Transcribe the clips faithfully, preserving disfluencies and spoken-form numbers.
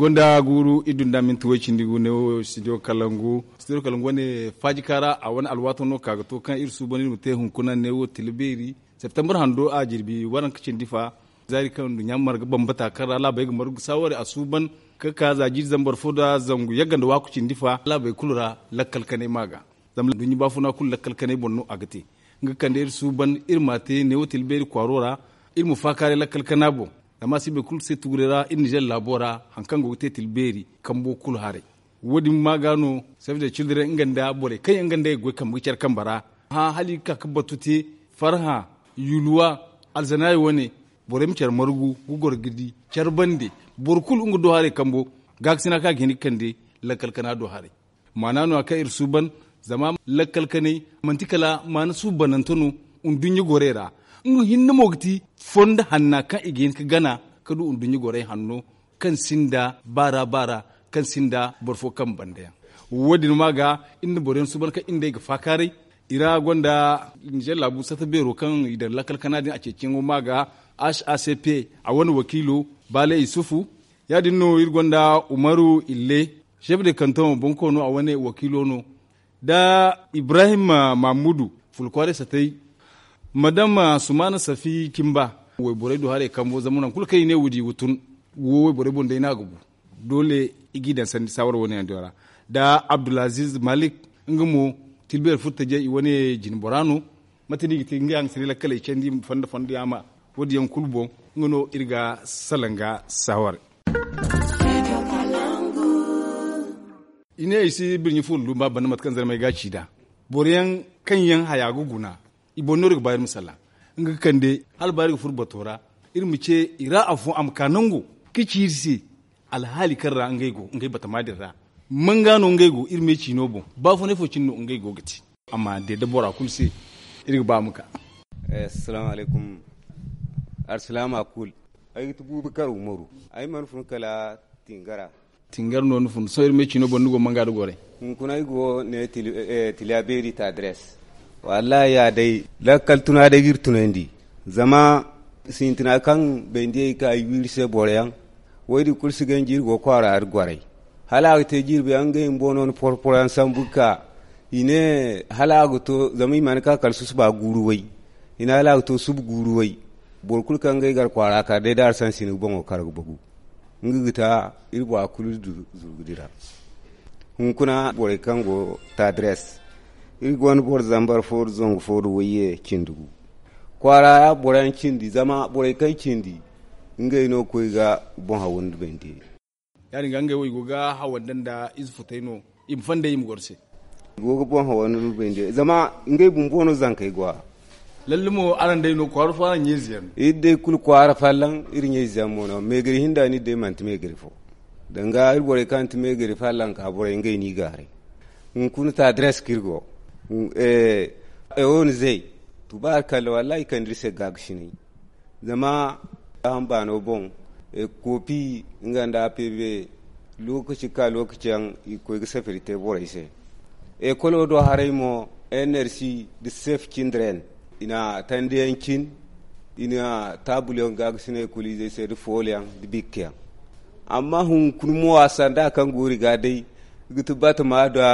Gonda guuru i dunda minti way cindi gu ne wo studio kalangu studio kalangu wane faaji kaara a wane alwaato no ka ga to kaŋ iri suuban iri ma te hunkuna ne wo tila beeri septembar hando a jirbi waranka cindi fa zaari kaŋ nduɲɲa marga bambata kaŋ ra laabey ga margu saaware a suuban ka ka za jiiri zambar fo nda zangu yagga nda waaku cindi fa laabey kulu ra lakkal kanay ma ga zama nduɲɲa baafuna kulu lakkal kanay boŋ no a ga te nga kande iri suuban iri ma te ne wo tila beeri kwaaro ra iri ma faakaaray lakkal kana boŋ zama a si boro kulu se tuguray ra iri nizer laabo ra hari kaŋ go ga te tila beeri kambo kulu haray wo- din ma ga no save the children nga nda borey kaŋ yaŋ nga nda ay ga goy kambe ga care kambe ra hã hala i ga ka ga batu te farhã yulwa alzanaayi wane borey ma care margu ga goro ga di care bande boro kulu nga do haray kambo gaakasina kaŋ a ga hin ga kande lakkal kana do haray maana no- ya kaŋ iri suuban zama lakkal kanay manti kala maana suubanante no nduɲɲa gorey ra nga hinne mo ga ti fondo hanna kaŋ i ga hin ga gana ga du nduɲɲa gorey hanno kaŋ sinda baara baara kaŋ sinda boro fo kaŋ banda yaŋ wo- din ma ga iri na boro yaŋ suuban kaŋ iri nd'ey ga faakaaray i ra gonda nizer laabu sata beero kaŋ i daŋ lakkal kana din a ceeciyaŋo ma ga h a c p a wane wakiilo baale isufu ya- din no iri gonda umaru ille chef de kanton bonkoono a wane wakiilo no nda ibrahim mamudu fulkwaaray satay madam sumaana safi cimba wayborey do haray kambo zama nangu kulu kaŋ i ne woodi ga tun wo wayborey boŋ day no a ga bu doole i g'i daŋ sanni saawara wane yaŋ diyo ra nda abdulaziz malik nga mo tilbeeri furtajey i wane jine bora no mate no i ga te nga yaŋ ga siri lakkaley candi fondo fondo yaŋ ma wo- din yaŋ kulu boŋ nga no iri ga salaŋ ga saawara i ne ay si birɲi fo lulu ba banda mate kaŋ zarmey ga ci nd'a boro yaŋ kaŋ yaŋ haya ga guna i boŋ no iri ga ba iri ma salla nga ga kande hala ba iri ga furo bato ra iri ma ce i ra afo a ma ka nango ka ci iri se alhaali kaŋ ra ngey go ngey batama din ra manga no ngey go iri me ciino boŋ baafunay fo cine no ngey go ga te amma deede bora kulu se iri ga ba a ma ka alsilaama kulu ay ga ti buubu kar umaru ay mana fun kala tingara tingar no ni fun sohõ iri me ciino boŋ ni go manga da goray hunkuna ay go ne tiliya beeri ta adres wallahi ya day lakkal tuna day ga iri tunandi zama sintina kaŋ bayndi ay ka ay wiiri se boro yaŋ wo- din kulu si ganji iri go kwaara iri goray hala a ga te jirbi yaŋ ngey bumbo no ni porporo yaŋ sambu ga ka i ne hala a ga to zama i mana ka kala susuba guuru way i ne hala a ga to suba guuru way boro kulu kaŋ ga ay gar kwaara ka day da arsansi ni ga boŋo kar ga bagu nga ga ta iri bora kulu zurgu dira hunkuna borey kaŋ go tadres iri gonda boro zambar fo da zangu fo da wayye cindi gu kwaara ya boro yaŋ cindi zama borey kaŋ cindi ngey no ga koy ga boŋ haw nda bande ya- din ga ngey wo i go ga hawanda nda ize futay no i ma fandey i ma goro se i go ga boŋ haw nda bande zama ngey bumbo no zankey go a lalle mo araŋ day no kwaara fo araŋ ɲayze yaŋ no iri day kulu kwaara fallaŋ iri ɲayze yaŋ mo no meegari hinda no iri day manti meegari fo danga iri borey kaŋ ti meegari fallaŋ ka borey ngey no i gaaray hunkuna ta adres kaŋ iri go ewo ni zey tubaari kalla wallaahi i kande iri se gaagasinay zama gaaham baano boŋ koopi nga nda a peebe lookaci ka lookaci yaŋ i ga koy ga safari te borey se ekolo do haray mo enersi da sef cindren i na tandiyaŋ cin i na taabulyaŋ gaagasinay kulu izey se da fooliyaŋ da bikkayaŋ amma hunkuna mo a sanda kaŋ go iri ga day ga ti batama da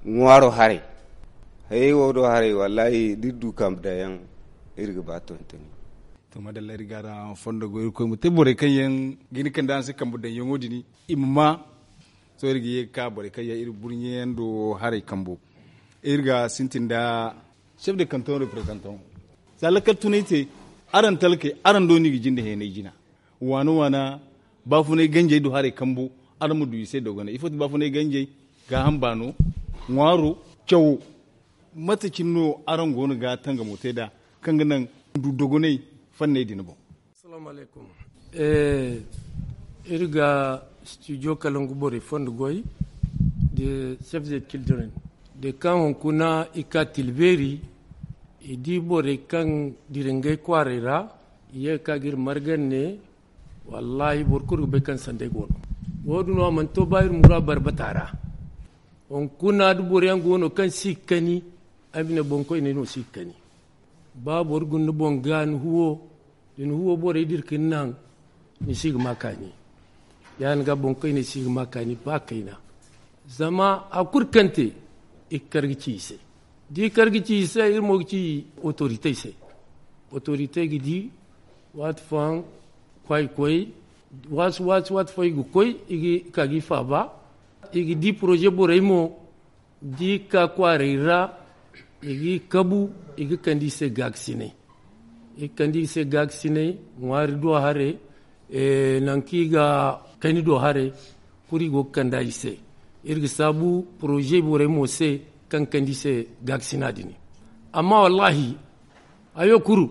ŋwaaro haray hayey wo do haray wallaahi da iri du kambe daŋ yaŋ iri ga ba tontoni to madalla iri ga araŋ fondo go irkoy ma te borey kaŋ yaŋ ga hin kande araŋ se kambe daŋ yaŋo din i ma ma sohõ iri ga ye ga ka borey kaŋ yaŋ iri burɲe yaŋ do haray kambo iri ga sintin nda chef de kanton representant za lakkal tunay te araŋ talkey araŋ do no i ga jinde heenay jina waana waana baafunay ganjey do haray kambo araŋ ma du i se dogonay ifo ti baafunay ganjey gaaham baano ŋwaaro cawo mate cine no araŋ go no ga tangamo te nd'a kaŋ ga naŋ du dogonay fanney din boŋ iri ga studio kalangu borey fondo goy da save the children da kaŋ hunkuna i ka tilbeeri i di borey kaŋ dira ngey kwaaray ra i ye ga ka ga iri margan ne wallaahi boro kulu ga bay kaŋ sanday go no wo- din no a mana to ba iri mura barbata ra hunkuna da boro yaŋ go no kaŋ si ga kani ay ma ne boŋkoyney no si ga kani ba boro guna ni boŋ ga ni huwo da ni huwo borey dira ka ni naŋ ni si ga ma kaani Ya- din ga boŋ kayna si ga ma kaani ba kayna. Zama a kulu kaŋ te, i ga kar ga ci i se. Da i kar ga ci i se, iri mo ga ci otoritey se. Otoritey ga di waati fooyaŋ, kwaay koy, waati waati waati fooyaŋ i ga koy, i ga ka ga i faaba. I ga di poroze borey mo, da i ka kwaaray ra, i ga i kabu, i ga kande i se gaakasinay. I ga kande i se gaakasinay, ŋwaari do haray, nangu kaŋ i ga kayna do haray, kulu i go ga kand'a i se. Iri ga saabu poroze borey mo se, kaŋ ga kande i se gaakasina din. Amma wallaahi, hayo kulu,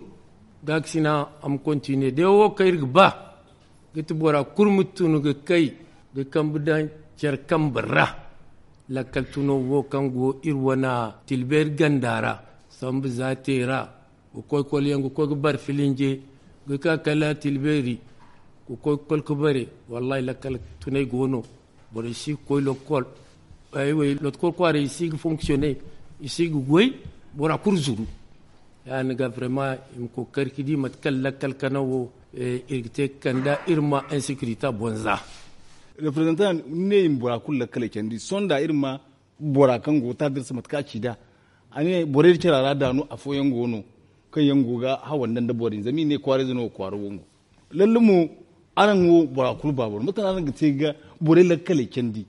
gaakasina a ma kontine day wo kaŋ iri ga ba, ga ti bora kulu ma tun ga kay, ga kambe daŋ care kambe ra. Lakkal tuno wo kaŋ go iri wane tilbeeri ganda ra, sambu za te ra, ga koy kolyaŋ ga koy ga bare filinje, ga ka kala tilbeeri, ga koy ga koy ga bare. Wallaahi lakkal tunay go no. Borey si ga koy lokkol. Lokkol kwaaray i si ga fonksiyone, i si ga goy. Bora kulu zuru. Ya- din ga brema i ma kookari ga di mate kaŋ lakkal kana wo, iri ga te ga kand'a iri ma insekirita bonza. Reprezantan ni ne i ma bora kulu lakkaley candi sohõ da iri ma bora kaŋ go ga taadar se mate kaŋ a ci nd'a. A ne borey da cara ra daanu afooyaŋ go no, kaŋ yaŋ go ga hawa nda nda borey zama i ne kwaarayze no ga kwaara wangu. Lalle mo, araŋ wo bora kulu ba boro mate no araŋ ga te ga borey lakkaley candi,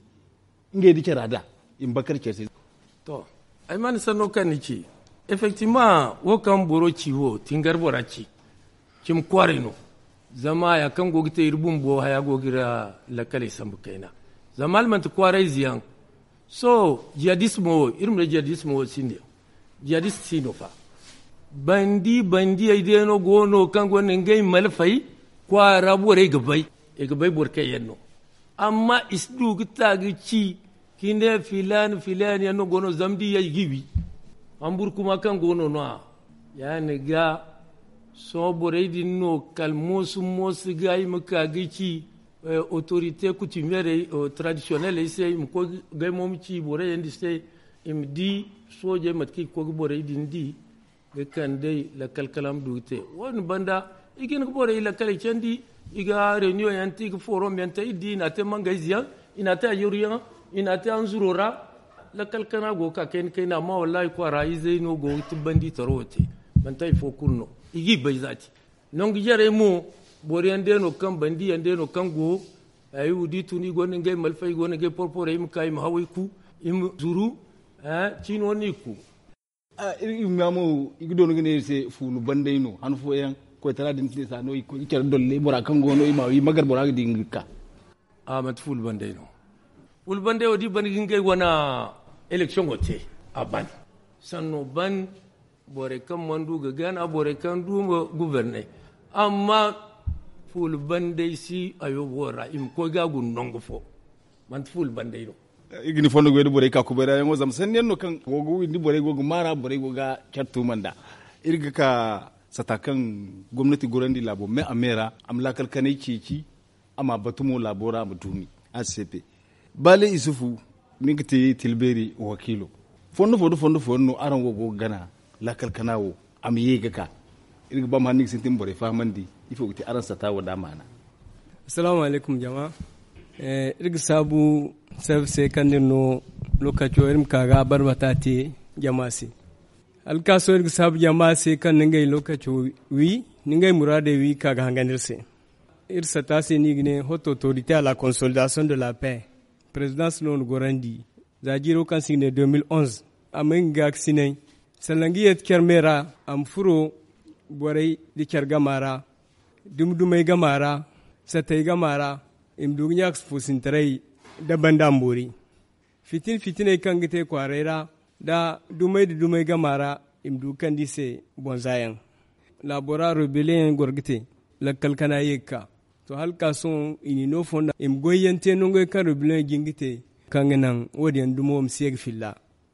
ngey da cara da i ma bakar care se. To, ay mana sanno kaŋ ni ci. Effectivement wo kaŋ boro ci wo tingar bora ci, cimi kwaaray no. Zama haya kaŋ go ga te iri bumbo haya go ga iri lakkaley sambu kayna. Zama hala manti kwaarayze yaŋ, sohõ jihadismo wo iri ma ne jihadismo wo sinda yaŋ. Jihadist si no fa. Bandi bandiyey day no go no kaŋ gonda ngey malfey kwaara borey ga bay. I ga bay boro kaŋ yaŋ no. Amma i si du ga ta ga ci, ka ne filaani filaani yaŋ no go no zama da i yay i ga i wi. Hamburu kuma kaŋ go no no- ya- din ga sohõ borey din no kala moosu moosu ga i ma ka ga ci, otorite kutimiyerey, tradisiyoneley se i ma koy ga ay mo ma ci borey yaŋ din se, i ma di soojey mate kaŋ i ga koy ga borey din di, ga kand'ey lakkal kala a ma du ga te. Wo- din banda, i ga hin ga borey lakkaley candi, i ga reniyoŋ yaŋ te i ga forom yaŋ te iri di i n'a te mangayze yaŋ, i n'a te ayyaru yaŋ, i n'a te hanzuro ra. Lakkal kana go ga ka kayna kayna amma wallaahi kwaara izey no go ga tibbandi taro wo te. Manti hari fo kulu no, i ga i bay zaati. Nangu jarey mo, boro yaŋ day no kaŋ bandi yaŋ day no kaŋ go. Ay wo da i tun i gonda ngey malfey i gonda ngey porporey i ma ka i ma haway ku, i ma zuru. Ciino no i ku. Iri ma mo i ga doona ga ne iri se fuulu banday no han fooyaŋ, koytara din tine sa no i ga care dolley bora kaŋ go no i ma wi magar bora ga di nga ga ka. A manti fuulu banday no. Fuulu banday wo da i ban ga ngey wane eleksiyoŋo te, a ban. Sanno ban, borey kaŋ mana du ga gana borey kaŋ du ma guberney. Amma fuulu banday si ayo wo ra i ma koy ga a guna nangu fo. Manti fuulu banday no. Iri ga ni fondo goy da borey ka kubay ra yaŋo zama sanni yaŋ no kaŋ go ga windi borey go ga maara borey go ga care tuuma nd'a. Iri ga ka sata kaŋ gomnati gorandi laabo me a me ra a ma laakal kanay ceeci, a ma batu mo laabo ra a ma duumi. A si seepe baale isufu, ni ga te tilbeeri wakiilo. Fondo fo nda fondo fo yaŋ no araŋ wo go ga gana laakal kana wo, a ma ye ga ka. Iri ga ba ma hanni ga sintin borey fahamandi ifo ga te araŋ sata wo da maana. Assalaamu alaykum jama. Iri ga saabu sarfe se kaŋ iri no lookaco iri ma ka ga barbata te jama se. Hala ka sohõ iri ga saabu jama se kaŋ na ngey lookaco wi, na ngey muraadey wi ka ga hangan iri se. Iri sata se no i ga ne hoto autorité à la consolidation de la paix. Présidence no na gorandi za jiiro kaŋ se i ga ne deux mille onze. A ma nga gaakasinay, sanda nga yeeti care me ra, a ma furo borey nda care gama ra, dumi dumey gama ra, satey gama ra, i ma du ga ɲaakasi foosintaray nda banda ma boori. Fitina fitiney kaŋ ga te kwaaray ra nda dumey nda dumey gama ra, i ma du ga kande i se bonza yaŋ. Laabo ra rebellion yaŋ goro ga te, lakkal kana ye ga ka. To hala ka sohõ i n'i no fonda i ma goyyaŋ te nangey kaŋ rebellion jin ga te, kaŋ ga naŋ wo- din yaŋ dumo ma si ye ga filla.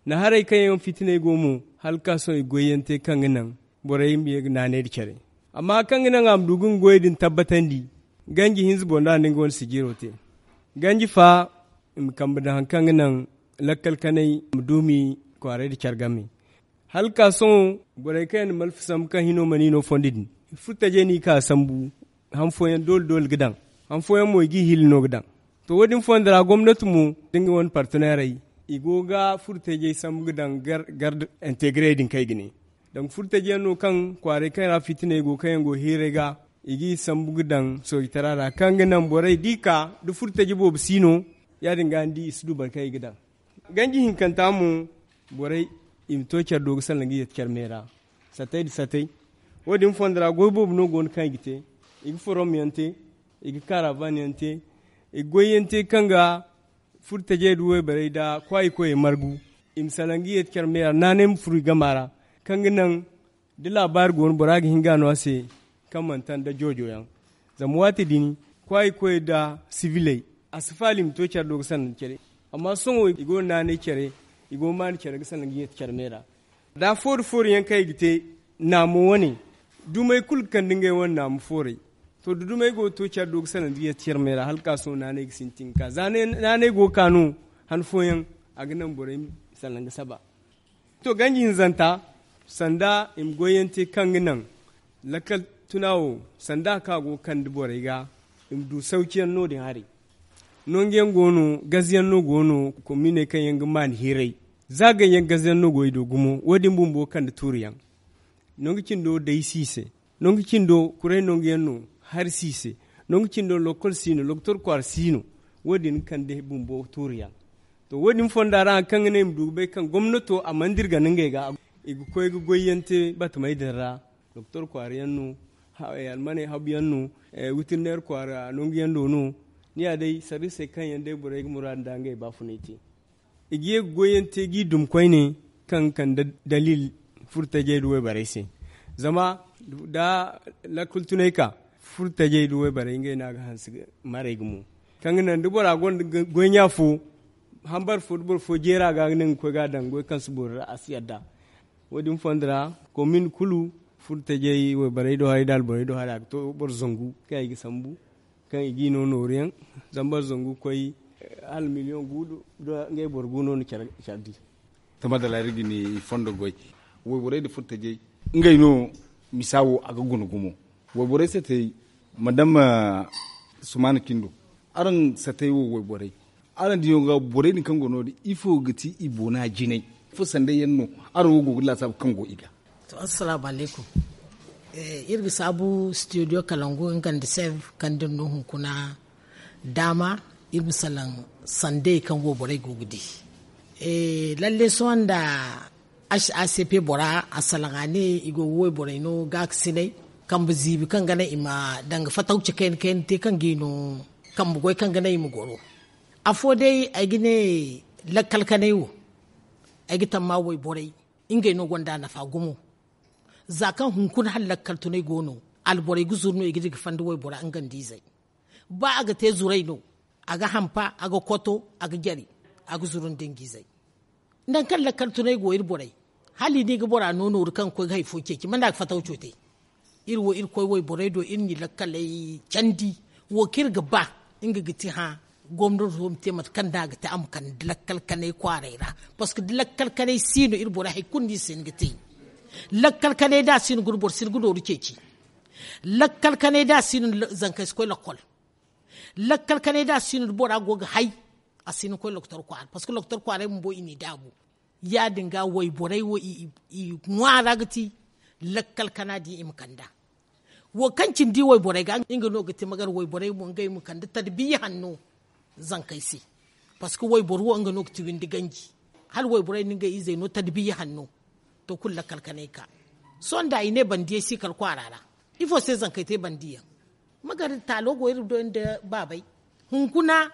Naharay kaŋ yaŋ fitiney go mo, hala ka sohõ i goyyaŋ te kaŋ ga naŋ borey ma ye ga naanay nda care. Amma hari kaŋ ga naŋ a ma du ga nga goyey din tabbatandi, ganji hinza boŋ da a na nga wane sijiiro te. Ganji fa, i ma kambe daŋ hari kaŋ ga naŋ lakkal kanay ma duumi kwaaray nda care game. Hala ka sohõ borey kaŋ yaŋ na malfa sambu kaŋ hino mana i no fondo din, furtajey no i ka sambu. Han fooyaŋ doole doole ga daŋ, han fooyaŋ mo i g'i hili no ga daŋ. To, wo- din fondo ra gomnati mo da nga wane parteneerey, i go ga furtajey sambu ga daŋ garde integrey din kaŋ i ga ne. Danga furtajey yaŋ no kaŋ kwaaray kaŋ ra fitiney go kaŋ yaŋ go heeray ga, i g'i sambu ga daŋ soojitara ra kaŋ ga naŋ borey da i ka da furtaje boobo si no. Ya- din ga ni di i si du boro kaŋ i ga daŋ ganji hinkanta mo. Borey i ma to care do ga salaŋ ga yeti care me ra. Satay nda satay. Wo- din fondo ra goy boobo no go no kaŋ i ga te. I ga forom yaŋ te, i ga karavan yaŋ te, i ga goy yaŋ te kaŋ ga furtajey nda wayborey nda kwaayi koyey margu. I ma salaŋ ga yeeti care me ra naanay ma furu i gama ra, kaŋ ga naŋ da laabaari go no bora ga hin ga no a se. Kaŋ mana taŋ nda joojo yaŋ. Zama waati din kwaayi koyey nda sibiley, a si faala i ma to care do ga sanda care. Amma sohõ i go no naanay care, i go no maani care ga salaŋ ga yeeti care me ra. Da foori foori yaŋ kaŋ i ga te naamo wane, dumey kulu ga kande ngey wane naamo fooray. To da dumey go ga to care do ga salaŋ ga yeeti care me ra hala ka sohõ naanay ga sintin ga ka za naanay go ga ka no. Han fooyaŋ a ga naŋ borey ma salaŋ ga saba. To ganji hinzanta, sanda i ma goyyaŋ te kaŋ ga naŋ lakkal tuna wo, sanda kaŋ a go ga kande borey ga, i ma du sawciyaŋ no- din haray. Nangu yaŋ go no gaze yaŋ no go no, kominey kaŋ yaŋ ga maani hiiray, za gay yaŋ gaze yaŋ no go i do gumo. Wo- din bumbo ga kande tuuri yaŋ. Nangu cindo day si i se. Nangu cindo kuray nangu yaŋ no, hari si i se. Nangu cindo lokol si no, loktor kwaara si no. Wo- din ga kande bumbo tuuri yaŋ. To wo- din fonda ra hari kaŋ ga ne i ma du ga bay kaŋ gomnato a mana dirga no ngey ga. I ga koy ga goyyaŋ te batamey din ra. Doktor kwaara yaŋ no, almaney habu yaŋ no, witirneer kwaara nangu yaŋ do no. Ni ya day sarrisey kaŋ yaŋ day borey ga muraadu nda ngey baafunay te. I ga ye ga goyyaŋ te g'i dum koyne, kaŋ ga kande daliil furtajey nda wayborey se. Zama da lakkul tunay ka, furtajey nda wayborey ngey no a ga hanse maray gumo. Kaŋ ga naŋ da bora gonda goy ɲa fo, hambar fo da boro fo jeera ga ga naŋ ga koy ga a daŋ goy kaŋ si boori ra a si yadda. Wo- din fondo ra komin kulu, furtajey wayborey do haray da alborey do haray a ga to boro zangu kaŋ i ga sambu, kaŋ i g'i no nooru yaŋ. Zama boro zangu ga koy hala miliyoŋ gu do ngey boro gu no na care di. Tama da laari ga ni fondo goy wayborey nda furtajey, ngey no misa wo a ga guna gumo. Wayborey satey madama sumaana kindo, araŋ satey wo wayborey, araŋ diyo ga borey din kaŋ go no- din ifo ga ti i boona jinay? Ifo sanday yaŋ no araŋ wo go ga laasaabu kaŋ go i ga? To assalaamu alaykum. Iri ga saabu studio kalangu nga nda sev kaŋ da iri no hunkuna daama iri ma salaŋ sandey kaŋ wo borey go ga di. Lalle sohõ nda h a c p bora a salaŋ a ne i go ga wayborey no gaakasinay kambe ziibi kaŋ ga naŋ i ma danga fatawci kayna kayna te kaŋ ga i no kambe goy kaŋ ga naŋ i ma goro. Afo day ay ga ne lakkal kanay wo ay ga tamma wayborey ngey no gonda nafa gumo. Za kaŋ hunkuna hala lakkal tunay go no, alborey ga zuru no i ga di ga fanda waybora nga nda izey. Ba a ga te zuray no, a ga hampa, a ga koto, a ga jare, a ga zuru nda nga izey. Nangu kaŋ lakkal tunay go iri borey, hala i ne i ga bora no nooru kaŋ ga koy ga hari fo ceeci manda a ga fatawco te. Iri wo iri koy wayborey do iri n'i lakkaley candi. Wo kaŋ iri ga ba nga ga ti hã gomnato ma te mate kaŋ da a ga te a ma kande lakkal kanay kwaaray ra. Parceque da lakkal kanay si no iri borey hari kulu no iri si hin ga te. Lakkal kanay da a si no guna boro si hin ga nooru ceeci. Lakkal kanay da a si no zankey si koy lakkol. Lakkal kanay da a si no da bora go ga hay, a si hin ga koy lokotor kwaara parceque lokotor kwaaray bumbo i n'i daabu. Ya- din ga wayborey wo i ŋwaara ga ti lakkal kana din i ma kand'a. Wo kaŋ cindi wayborey ga nga no ga ti magar wayborey mo ngey ma kande tarbiya hanno zankey se. Parceque wayboro wo nga no ga ti windi ganji hala wayborey na ngey izey no tarbiya hanno. To kulu lakkal kanay ka sohõ nda i ne bandiyey si kala kwaara ra. Ifo se zankey te bandiyaŋ? Magar taalo go iri do nda baabay. Hunkuna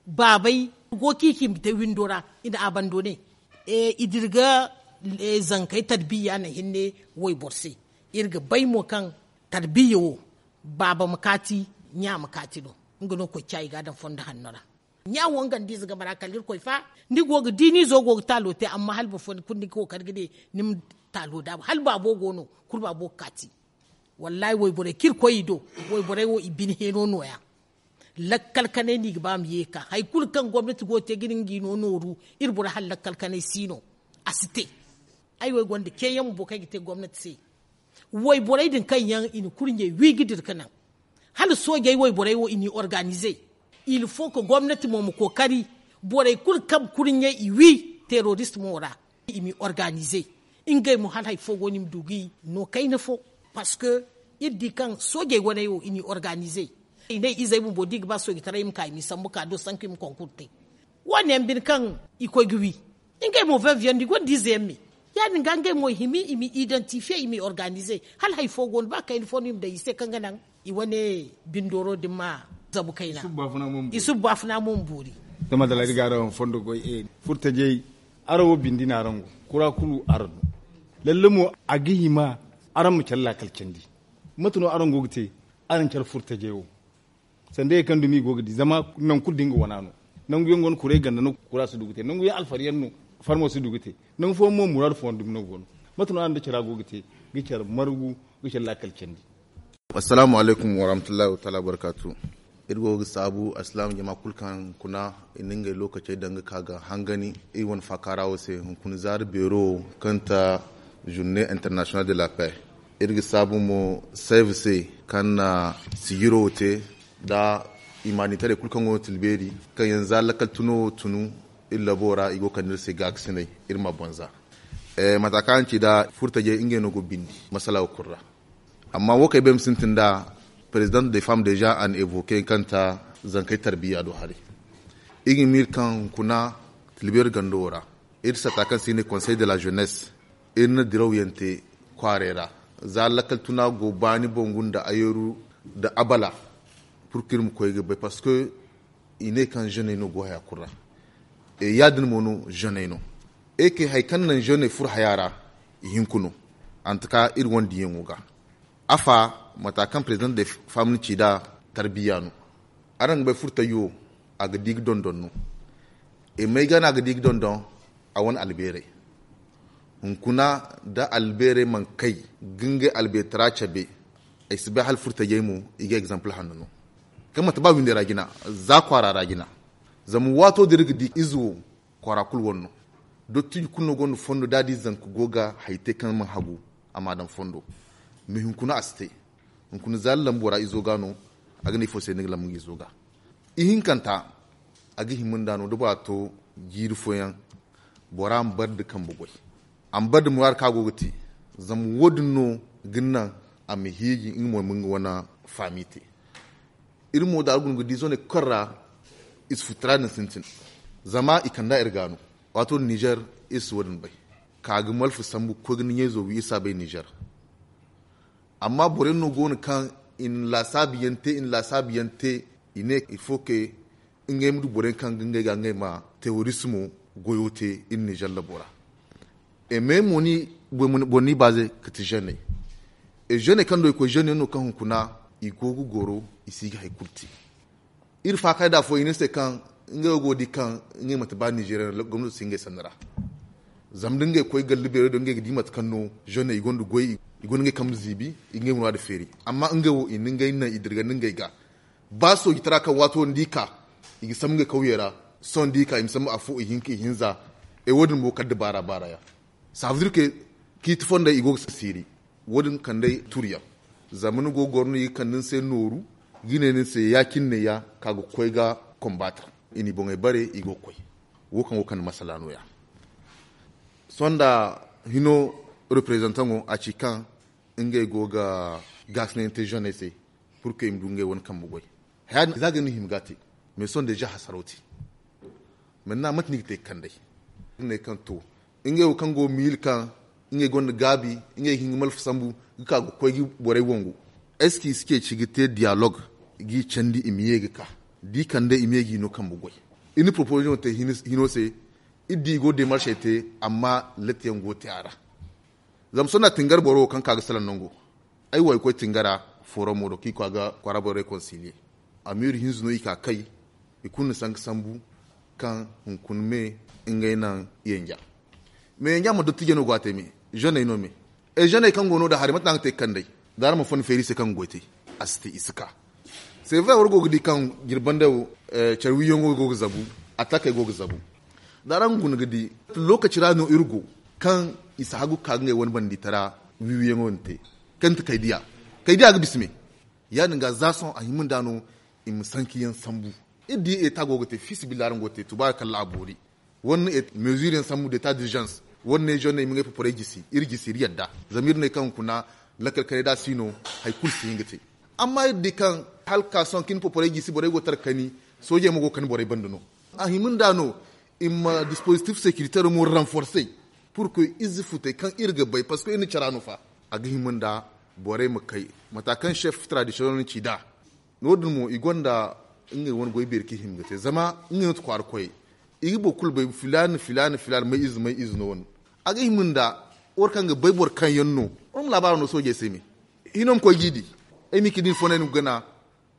baabay go kaŋ i ci i ma te windo ra i na a bando ne. I dira ga zankey tarbiya naŋ hinne wayboro se. Iri ga bay mo kaŋ tarbiya wo baaba ma kaati ɲa ma kaati no. Nga no koy ca i ga a daŋ fondo hanno ra. Ɲa wo nga nda ize game ra kala irkoy fa. Ni go ga di ni izo go ga taalo te amma hala boro fo ni kulu ni ga kookari ga ne ni ma taalo daabu hala baabo go no kulu baabo ga kaati. Wallaahi wayborey kaŋ iri koy i do wayborey wo i bine heeno nooya. Lakkal kanay no i ga ba ma ye ga ka hari kulu kaŋ gomnati go ga te ga ne nga i no nooru. Iri borey hala lakkal kanay si no a si te. Ay wo ay gonda ceeyaŋ bumbo kaŋ ay ga te gomnati se. Wayborey din kaŋ yaŋ i na kurɲey wi ga dira ga naŋ hala soojey wayborey wo i n'i organize. Il faut que gomnati mo ma kookari borey kulu kaŋ kurɲe i wi terorist mo ra, i m'i organize. Ngey mo hala hari fo go no i ma du ga i no kayna fo. Parce que iri di kaŋ soojey waney wo i n'i organize. I ne izey bumbo da i ga ba soojitaray i ma ka i m'i sambu ka do sanku i ma konkur te. Wo- ne yaŋ bine kaŋ i koy ga wi ngey mo vingt viande i gonda ize yaŋ me. Ya- din ga ngey mo i hima i m'i identifiye i m'i organize. Hala hari fo go no ba kayna fo no i ma daŋ i se kaŋ ga naŋ i wane bindooro din ma zabu kayna. I subu baafuna mo ma boori. Tama da ladi ga araŋ fondo goy e furtajey. Araŋ wo bindi no araŋ go kura kulu araŋ no. Lalle mo a ga hima araŋ ma care laakal candi. Mate no araŋ go ga te araŋ care furtajey wo? Sanda ye kaŋ dumi i go ga di zama nangu kulu da nga wana no. Nangu yaŋ go no kuray ganda no kura si du ga te nangu yaŋ alfari yaŋ no. Farmo si du ga te nangu fooyaŋ mo muraadu fooyaŋ dumi no go no. Mate no araŋ da cara go ga te ga care margu ga care laakal candi. Assalaamu alaykum warahmatullahi wataala wabarkaatu. Iri go ga saabu alsilaama jama kulu kaŋ kuna i na ngey lookacey daŋ ga ka ga hangani iri wane faakaara wo se hunkuna zaari beero kaŋ ta journée internationale de la paix. Iri ga saabu mo save se kaŋ na sijiro wo te nda imaanitarey kulu kaŋ go no tilbeeri kaŋ yaŋ za lakkal tuno wo tunu iri labo ra i go ga kande iri se gaakasinay iri ma boŋ za. Mata kaŋ araŋ ci nd'a furtajey ngey no go bindi masala wo kulu ra. Amma wo kaŋ ay bay ma sintin nd'a présidente des femmes déjà a na évoquer kaŋ ta zankey tarbiya do haray. Iri ga miiri kaŋ hunkuna tilbeeri gando wo ra iri sata kaŋ se i ne conseil de la jeunesse iri na diraw yaŋ te kwaarey ra. Za lakkal tuna go baani bangu nda ayeru nda abala pour que iri ma koy ga bay parce que i ne kaŋ jeuney no go haya kulu ra. Ya- din mo no jeuney no. Ey kay hari kaŋ naŋ jeuney furo haya ra i hinku no. Antaka iri wane diyaŋo ga afa mata kaŋ président de famni ci nd'a tarbiya no. Araŋ ga bay furtayyo a ga di ga dondon no. Imay ga no a ga di ga dondon a wane albeerey. Hunkuna da albeerey mana kay ga ngey albeetara cabe. Ay si bay hala furtajey mo i ga exemple hanno no. Kaŋ manti ba windey ra jina za kwaara ra jina. Zama waato da iri ga di ize wo kwaara kulu wane no. Dottiji kulu no gonda fondo da a di zanka go ga hari te kaŋ mana hagu a ma a daŋ fondo. Mais hunkuna a si te. Hunkuna za lambo ra izo ga no. A ga ne ifo se ni ga lambu nga izo ga. Ihinkanta a ga hima nda no da bora to jiiri fooyaŋ bora ma bare nda kambe goy. A ma bare nda muraadu kaŋ a go ga te. Zama wo- din no ga naŋ a ma hiiji nga mo ma nga wane faami te. Iri mo da a guna ga di zone kaŋ ra i si futtura din sintin. Zama i kand'a iri ga no. Waato din nizer iri si wo- din bay. Ka ga malfa sambu ga koy ga ni ɲayzo wi iri si a bay nizer. Amma boro yaŋ no go no kaŋ i na laasaabu yaŋ te i na laasaabu yaŋ te. I ne il faut que ngey ma du boro yaŋ kaŋ ga ngey ga ngey ma terorismo goyo te iri nizer labo ra. E me mo ni boro ni baaze ga ti zeney. E zeney kaŋ do i koy zeney no kaŋ hunkuna i go ga goro i si ga hari kulu te. Iri faakay da fo i ne se kaŋ ngey wo go ga di kaŋ ngey manti ba nizeeriya no gomnato si ngey sanni ra. Zama da ngey koy galli beero do ngey ga di mate kaŋ no zeney i gonda goy i gonda ngey kambe ziibi i ga ngey muraadu feeri. Amma ngey wo i na ngey naŋ i dirgandi ngey ga. Ba soojitara kaŋ waato ni di ka i ga sambu ngey kawyey ra. Sohõ ni di ka i ma sambu afo ihinka ihinza. E wo- din mo kala nda baara baara yaŋ. Saafadurke ciiti fondey i go ga siiri. Wo- din kand'ey turyaŋ. Zama ni go ga goro no i ga kande ni se nooru ga ne ni se ya- cine ne ya ka ga koy ga konbaata. I n'i boŋey bare i go ga koy. Wo kaŋ go ga kande masala no- ya. Sohõ nda hino reprezantaŋo a ci kaŋ ngey go ga gaasinayaŋ te zeney se. Pur que i ma du ngey wane kambe goy. Haya din za ga ni hima ga a te. Mais sohõ deeza hasaro te. Mante no a mate no i ga te ga kand'ey? Iri ne kaŋ to ngey wo kaŋ go ga miila kaŋ ngey gonda gaabi ngey ga hin ga malfa sambu ga ka ga koy ga borey wangu. Est ce que i si ceeci ga te diyalog? G'i candi i ma ye ga ka da i kand'ey i ma ye g'i no kambe goy. Iri na proposiyoŋo te hino se. Iri di i go ga demaršey te amma letteyaŋ go ga te a ra. Zama sohõ da tingar boro wo kaŋ ka ga salaŋ nango. Ay wo ay koy tingara foromo do kaŋ i koy a ga kwaara borey konsiliye. Amiiri hinza no i ka kay. I kulu na sanka sambu kaŋ hunkuna me ngey naŋ yanja. Me yanja ma dottijey no go a te me. Zeney no me. E zeney kaŋ go no da hari mate no a ga te ga kand'ey? Da araŋ ma fonda feeri i se kaŋ ga goy te. A si te i si ka. C'est vrai war go ga di kaŋ jirbandey wo care wiiyaŋo go ga zabu. Atakey go ga zabu. Da araŋ guna ga di lookaci ra no iri go kaŋ i si hagu ga ka ga ngey wane banditara wiiwiyaŋo din te. Kaŋ ti kaydiya kaydiya ga bisa me. Ya- din ga za sohõ a hima nda no i ma sankayaŋ sambu. Iri di eta go ga te fiisabilillahi araŋ go ga te tubaari kalla a boori. Wani ne mezuri yaŋ sambu da eta d'urgence. Wani ne zone i ma ŋway poporey gisi iri gisi iri yadda. Zama iri ne kaŋ kuna lakkal kanay da a si no hari kulu si hin ga te. Amma iri di kaŋ hala ka sohõ kaŋ iri poporey gisi borey go tara kani. Soojey mo go ga kani borey banda no. A hima nda no i ma dispositif securitaire mo renforcer. Pur que ize futey kaŋ iri ga bay parceque iri na cara no fa. A ga hima nda borey ma kay mata kaŋ chef traditional na ci nd'a. No- din mo i gonda ngey wane goy beeri kaŋ i hima ga te zama ngey no ti kwaara koyey. I ga boro kulu bay filaana filaana filaana may ize may ize no wane. A ga hima nda war kaŋ ga bay boro kaŋ yaŋ no war ma laabaaro no soojey se me. Hino ma koy g'i di. Ay ma i ka din fo no ay na ga gana.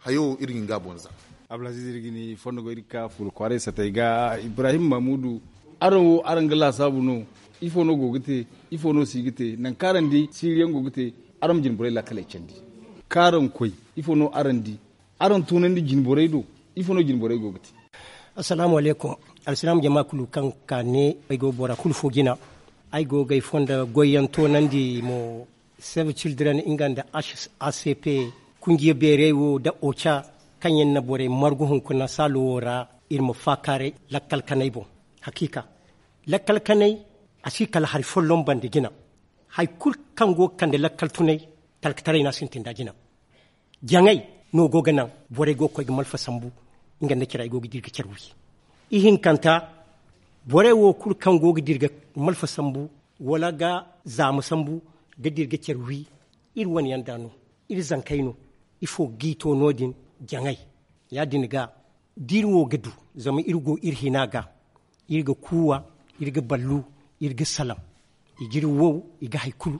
Hayo iri ga hin ga a boŋ za. Abdulaziz iri ga ni fondo go iri ga ka fuula kwaaray satey ga ibrahim mamudu. Araŋ wo araŋ ga laasaabu no? Ifo no go ga te? Ifo no si ga te nangu kaŋ araŋ di siiri yaŋ go ga te? Araŋ ma jine borey laakaley candi kaŋ araŋ koy. Ifo no araŋ di? Araŋ tunandi jine borey do? Ifo no jine borey go ga te? Assalaamu alaykum. Alsilaama jama kulu kaŋ ka ne ay go bora kulu fo jina. Ay go ga ay fonda goyyaŋ toonandi mo. Save children nga nda acp kunjiya beeray wo nda oca kaŋ yaŋ na borey margu hunkuna saalo wo ra. Iri ma faakaaray lakkal kanay boŋ. Hakiika lakkal kanay a si kala hari folloŋ banda jina. Hari kulu kaŋ go ga kande lakkal tunay talkataray no a sintin nd'a jina. Jaŋay no go ga naŋ borey go ga koy ga malfa sambu nga nda care ay go ga dira ga care wi. Ihinkanta borey wo kulu kaŋ go ga dira ga malfa sambu wala ga zaama sambu ga dira ga care wi. Iri wane yaŋ da no iri zankey no. Ifo ga g'i to no- din? Jaŋay ya- din ga da iri wo ga du zama iri go iri hina ga. Iri ga kuuwa iri ga ballu iri ga salaŋ. I ga iri wow i ga hari kulu.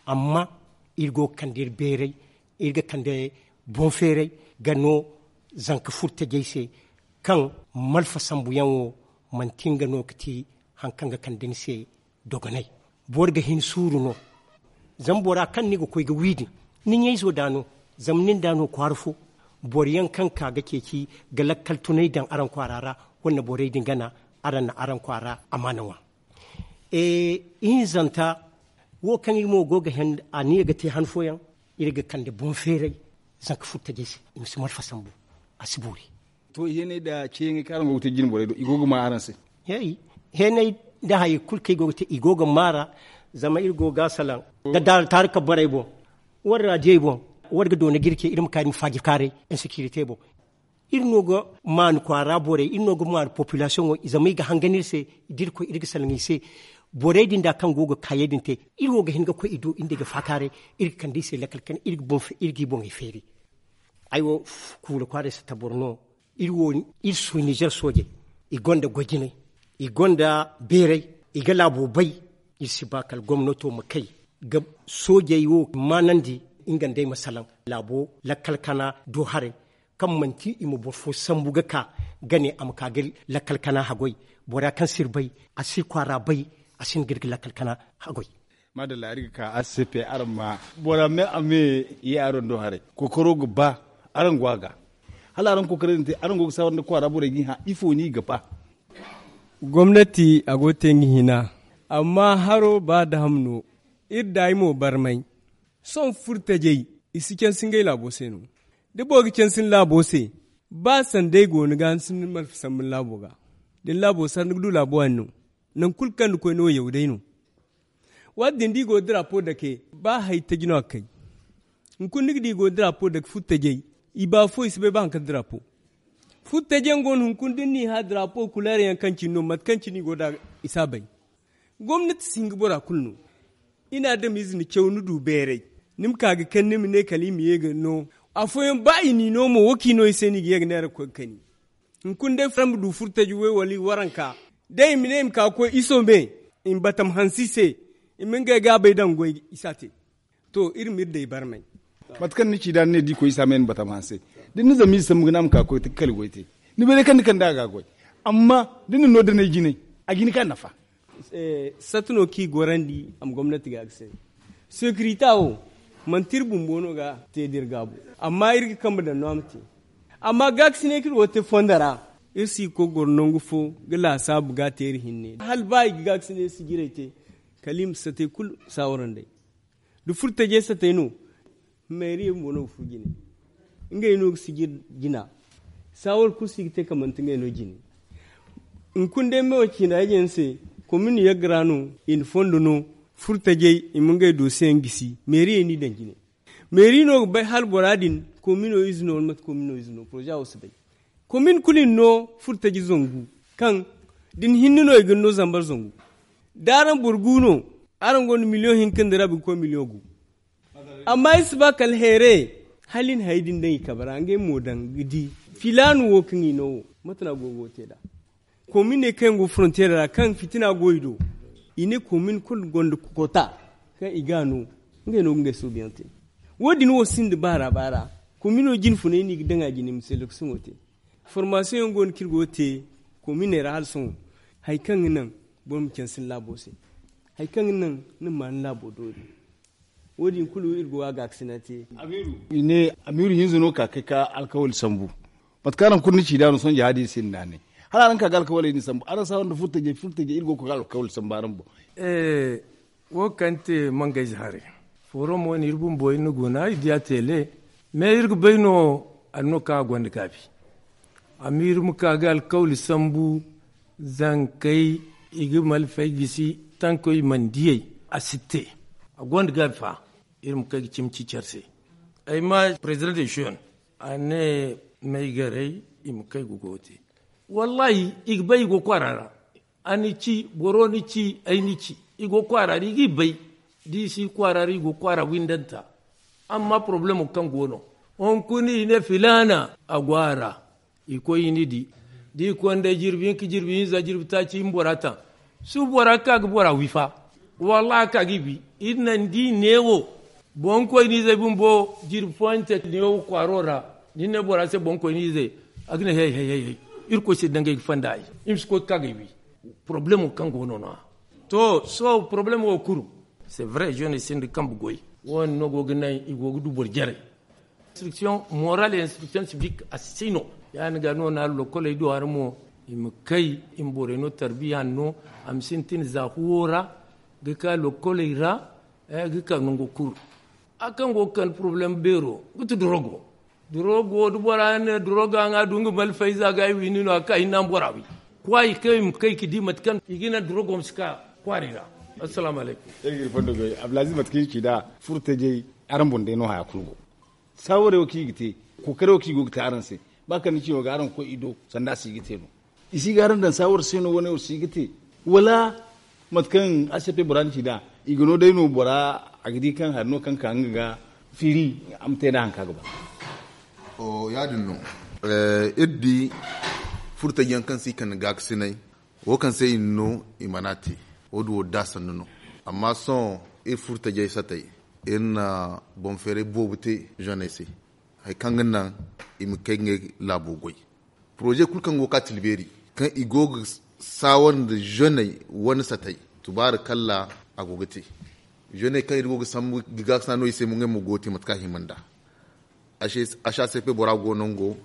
Amma iri go ga kande iri beeray iri ga kande boŋ feeray ga no zanka furo tajey se. Kaŋ malfa sambuyaŋo manti nga no ga ti hari kaŋ ga kande ni se dogonay. Boro ga hin suuru no. Zama bora kaŋ ni ga koy ga wi din ni ɲayzo da no. Zama nin da no kwaara fo boro yaŋ kaŋ ka ga ceeci ga lakkal tunay daŋ araŋ kwaara ra. Wala borey din gana araŋ na araŋ kwaara amaana ŋwa. Ihinzanta wo kaŋ iri mo go ga hẽen aniya ga te han fooyaŋ iri ga kande boŋ feeray. Zanka furtajey se i ma si malfa sambu a si boori. To i heenay nda ceeyaŋey kaŋ araŋ go ga te jine borey do i go ga ma araŋ se? Heenay nda hayey kulu kaŋ i go ga te i go ga ma ra. Zama iri go ga a salaŋ da daara taari ka borey boŋ. War raadiyey boŋ war ga doona ga iri ce iri ma ka iri ma faaji kaaray insekirite boŋ. Iri no ga maanu kwaara borey iri no ga maanu popilasiyoŋo zama i ga hangan iri se. Da iri koy iri ga salaŋ i se. Borey din da kaŋ go ga kaayey din te iri wo ga hin ga koy i do iri nda i ga faakaaray. Iri ga kande i se lakkal kane iri ga i boŋey feeri. Ay wo kuula kwaaray satta boro no. Iri wo iri su nizer soojey i gonda goy jinay. I gonda beeray i ga laabo bay. Iri si ba kala gomnato ma kay ga soojey wo maanandi nga nd'ey ma salaŋ laabo lakkal kana do haray. Kaŋ manti i ma boro fo sambu ga ka ga ne a ma ka ga lakkal kana haggoy. Bora kaŋ si iri bay a si iri kwaara bay. A si hin ga iri ga lakkal kana haggoy. Maadalla iri ga ka a si se pe araŋ ma bora me a me ye araŋ do haray. Kookaro ga ba araŋ go a ga hala araŋ kookaray din te araŋ go ga saawar nda kwaara borey ga i hã ifo no i ga ba? Gomnati a go ga te nga hina. Amma haro ba daham no. Iri daayi mo barmay. Sohõ furtajey i si cansi ngey laabo se no. Da boro ga cansi ni laabo se ba sanda ay go ni ga ni si ni malfa sambu ni laabo ga. Da ni laabo sara ni ga du laabo a ni no. Nangu kulu kaŋ ni koy no yaw day no. Waati din da i go drapo dake ba hari taji no a ga kay. Hunkuna ni ga di i go drapo dake furtajey i ba fo i si bay ba hari kaŋ drapo. Furtajey yaŋ go no hunkuna da ni n'i hã drapo kuleer yaŋ kaŋ cine no mate kaŋ cine i go nd'a i si a bay. Gomnati si hin ga bora kulu no. I na adamize ni caw ni du beeray. Ni ma ka ga kani ni ma ne kala i ma ye ga no. Afooyaŋ ba i n'i no mo wo kaŋ i no i se no i ga ye ga neera ga koy ga kani. Hunkuna day fara ma du furtaji way wala i waranka. Day i ma ne i ma ka ga koy iso me i ma batam hanse i se. I ma ngey gaabay daŋ goy i si a te. To iri ma iri day barmay. Mate kaŋ ni ci da ni ne da i koy isa me ni batam hanse. Da ni na zama ize sambu ga ne a ma ka ga koy ga kali goy te. Ni bay day kaŋ ni kande a ga a goy. Amma da ni na no danay jinay a ga hin ga nafa. Satta no kaŋ i gorandi a ma gomnati ga ga se. Sekirita wo manti iri bumbo no ga te da iri gaabu. Amma iri ga kambe daŋ no a ma te. Amma gaakasinay kaŋ iri go ga te fondo ra iri si ga koy ga goro nangu fo ga laasaabu ga a te iri hinne hala ba i ga gaakasinay sijirey te. Kala i ma satey kulu saawarandey da furtajey satey no. Meeriye bumbo no ga furo jine. Ngey no ga sijir jina. Saawar kulu si ga te ka manti ngey no jine. Hunkuna day me wo ciina ay jine se, komin yagga ra no, i na fondo no, furtajey i ma ngey doosiyaŋ gisi meeriyey n'i daŋ jine. Meeri no ga bay hala bora din komino ize no wala mate komino ize no poroza wo si bay. Komin kulu i na no furtaji zangu, kaŋ da ni hinne no i ga ni no zambar zangu. Da araŋ boro gu no, araŋ gonda miliyoŋ hinka nda rabi ga koy miliyoŋ gu. Amma i si ba kala heere, hala i na hari din daŋ i kabe ra ngey mo daŋ ga di. Filaana wo kaŋ i no wo, mate no a go ga wo te nd'a? Komin ne kaŋ yaŋ go frontiyeer ra kaŋ fitina go i do, i ne komin kulu gonda kota kaŋ i ga a no. Ngey no ga ngey soobuyaŋ te. Wo- din wo sinda baara baara. Komino jine funay no i ga daŋ a jine ma seleksiyoŋo te. Formaasiyoŋ yaŋ go no kaŋ iri go ga te kominey ra hala sohõ. Hari kaŋ ga naŋ boro ma canse ni laabo se, hari kaŋ ga naŋ ni ma ni laabo doori. Wo- din kulu iri go ga gaakasina te. I ne amiiru hinza no ka kay ka alkawali sambu. Mate kaŋ araŋ kulu ni ci nd'a no sohõ jihadi sinda naanay. Hala araŋ ka ga alkawaley din sambu araŋ saawar nda furtajey furtajey iri go ga koy ga alkawali sambu araŋ boŋ. Wo kaŋ te mangayze haray, forum wo no iri bumbo iri na guna i di a teele. Me iri ga bay no anno kaŋ a gonda gaabi. Amma iri ma ka ga alkawli sambu, zankey i ga malfay gisi, tankey i mana diyey. A si te. A gonda gaabi fa. Iri ma kay ga cimi ci care se. Ay ma president de shiyon a ne may garay i ma kay ga goyo te. Wallahi i ga bay i go kwaara ra. A ni ci boro ni ci ay ni ci i go kwaara ra i g'i bay. Da i si kwaara ra i go kwaara windanta. Amma poroblemo kaŋ go no hunkuna i ne filaana a go a ra. I koy i ni di da i konda jirbi hinka jirbi hinza jirbi taaci i ma bora taŋ. Suubu bora ga ka ga bora wi fa. Wallahi a ka ga i bi. Iri naŋ da i neewo boŋkoyniizey bumbo jirbi fooyaŋ te neewo kwaaro ra. Da i ne bora se boŋkoyniizey a ga ne hey hey hey hey. Irkoy se dangay ga fanda ay. I ma si koy ga ka ga i wi. Problemo kaŋ go no no-ya. To sohõ problemo wo kulu. C'est vrai jeune sinda kambe goy. Wo- din no go ga naŋ i go ga du boro jarey. Instruction morale et instruction civique a si no. Ya- din ga no na lokoley do hari mo i ma kay i ma borey no tarbiya no. A ma sintin za huwo ra ga ka lokoley ra ga ka nango kulu. A kaŋ go ga kande problème beero ga ti dorogo. Dorogo da bora ne dorogo a ŋwa du nga malfayza ga ay windi no a ga ka hinne a ma bora wi. Kwaayi kaŋ i ma kay ga di mate kaŋ i ga naŋ dorogo ma si ka kwaari ra. Assalamu alaykum. Iri ga iri fondo goy abdulaziz mate kaŋ iri ci nd'a furtajey araŋ boŋ day no haya kulu go. Saawarey wo kaŋ i ga te kookarey wo kaŋ i go ga te araŋ se. Ba kala ni ci no ga araŋ ga koy i do sanda a si ga te no. I si ga araŋ daŋ saawar se no wane wo si ga te wala mate kaŋ a se pe bora ni ci nd'a i ga no day no bora a ga di kaŋ hari no kaŋ ka nga ga fiiri a ma te nd'a hari kaŋ a ga ba. Ya- din no. Iri di furtajyaŋ kaŋ se i kande gaakasinay wo kaŋ se i na no i mana te. Wo- din wo da sannu no. Amma sohõ iri furtajey satey iri na boŋ feeray boobo te zoney se hari kaŋ ga naŋ i ma kay ngey laabo goy. Poroze kulu kaŋ go ga ka tilbeeri kaŋ i go ga saawar nda zoney wane satey tubaari kalla a go ga te. Zoney kaŋ iri go ga sambu ga gaakasina no i se mo ngey mo go ga te mate kaŋ a hima nd'a. H a c p bora go nango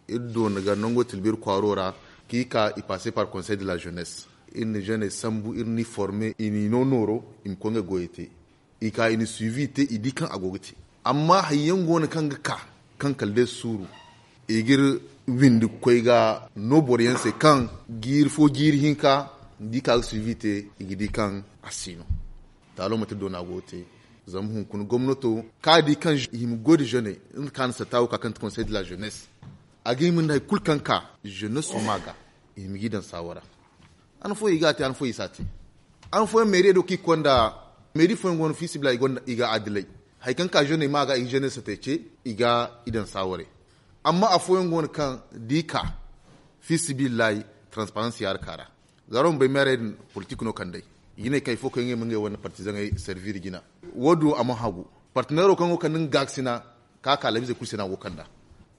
iri doona ga nango tilbeeri kwaaro ra. Kaŋ i ka i passe par conseil de la jeunesse iri na zoney sambu iri n'i forme i n'i no nooro i ma koy ngey goyey te. I ka i na suivi te i di kaŋ a go ga te. Amma hari yaŋ go no kaŋ ga ka kaŋ kala day suuru i ga iri windi ga koy ga no boro yaŋ se kaŋ jiiri fo jiiri hinka da i ka ga suivi te i ga di kaŋ a si no. Taalo manti doona go ga te. Zama hunkuna gomnato kaŋ a di kaŋ i hima goy nda zoney nga kaŋ a na satta wo ka kaŋ ti conseil de la jeunesse a ga hima nda hari kulu kaŋ ka jeunesse ma ga i hima ga i daŋ saawara. Han fooyaŋ i ga a te han fooyaŋ i si a te. Han fooyaŋ meeri do kaŋ i ga konda meeri fooyaŋ go no fiisabilillahi i ga adilay. Hari kaŋ ka zoney ma ga i ga zoney satey ce i ga i daŋ saawaray. Amma afooyaŋ go no kaŋ da i ka fiisabilillahi transparansi yaara ka ra. Za araŋ ma bay meerey din politik no kand'ey i ga ne kaŋ ifo kaŋ ngey ma ngey wane partizaŋey servir jina. Wo- din wo a mana hagu. Partineero kaŋ go ga kande nga gaakasina ka ka labize kulu se no a go ga kand'a.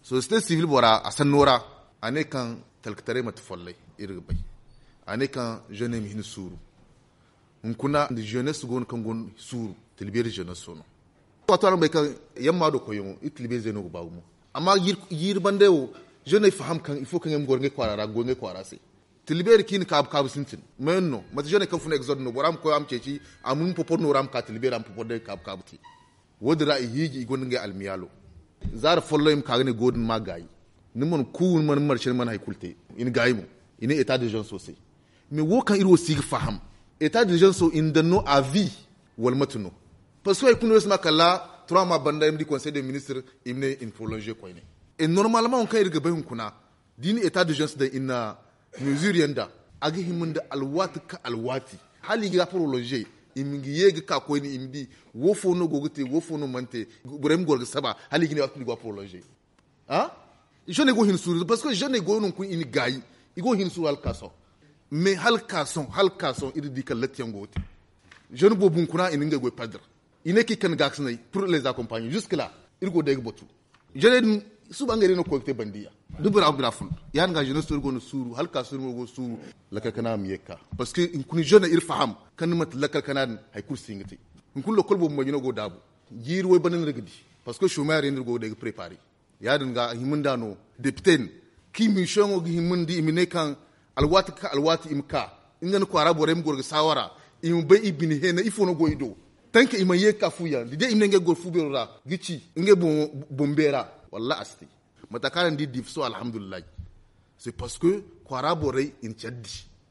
Sosiyete sibil bora a sanno ra a ne kaŋ talkataray manti follay. Iri ga bay a ne kaŋ zoney ma hin suuru. Hunkuna nda zenes go no kaŋ go no suuru. Tilbeeri zenes no. Waato araŋ bay kaŋ yamma do koyyaŋo iri tilbeeri zey no ga ba gumo. Amma jiiri banday wo zeney faham kaŋ ifo kaŋ ngey ma goro ngey kwaara ra ga goy ngey kwaara se. Tilbeeri kaŋ i na kaabu kaabu sintin mayaŋ no manti zeney kaŋ fun exode no bora ma koy a ma ceeci a ma popor no ra ma ka tilbeeri a ma popor day ga kaabu kaabu te. Wo- din ra i hiiji i gonda ngey almiyaalo. Zaara folloŋ i ma ka ga ne go din ma gaayi. Ni mana ku, ni mana marse, ni mana hari kulu te. I na gaayi mo. I ne état d'urgence wo se. Mais wo kaŋ iri wo si ga faham, état d'urgence wo i na daŋ no à vie, wala mate no? Parce que hari kulu no iri si ma kala trois mois banda, iri ma di conseil des ministres, i ma ne i na prolonger koyne. Et normalement wo kaŋ iri ga bay hunkuna, da i na état d'urgence daŋ, i na mesure yaŋ daŋ, a ga hima nda alwaati ka alwaati, hala i ga prolonger, i ma ye ga ka koyne, i ma di wo fo no go ga te, wo fo no mana te. Borey ma goro ga saba hala i ga ne waati kulu i go ga prolonger. Jeune go hin suuru, parce que jeune go no kun i na gaayi, i go hin suuru hala ka sohõ. Mais hala ka sohõ, hala ka sohõ iri di kala latti yaŋ go ga te. Jeune boobo hunkuna i na ngey goy perdre. I ne kaŋ i kande gaakasinay pour les accompagner jusque là, iri go day ga batu. Jeune din suba ngey day no ga koy ga te bandiya. Da bora bora fun, ya-din ga jeunesse iri go no suuru hala ka sohõ, iri go ga suuru. Lakkal kana ma ye ga ka, parce que hunkuna jeune iri faham kaŋ ni manti lakkal kana din hari kulu si hin ga te. Hunkuna lakkal boobo mo jino go ga daabu. Jiiri way banda no iri ga di, parce que chômeur yaŋ no iri go ga day ga préparer. Ya-din ga a hima nda no député din, kaŋ i ma mission wo ga hima nda i ma ne kaŋ alwaati ka alwaati i ma ka, nga nda kwaara borey ma goro ga saawara, i ma bay i bine heena ifo no go i do. Tanka i mana ye ga ka fu yaŋ da day i ma ne ngey ga goro fu beero ra ga ci ngey boŋ beera. Wallahi a si te. Mata kaŋ araŋ di diifa sohõ alhamdulillahi. C'est parce que kwaara borey i na care di.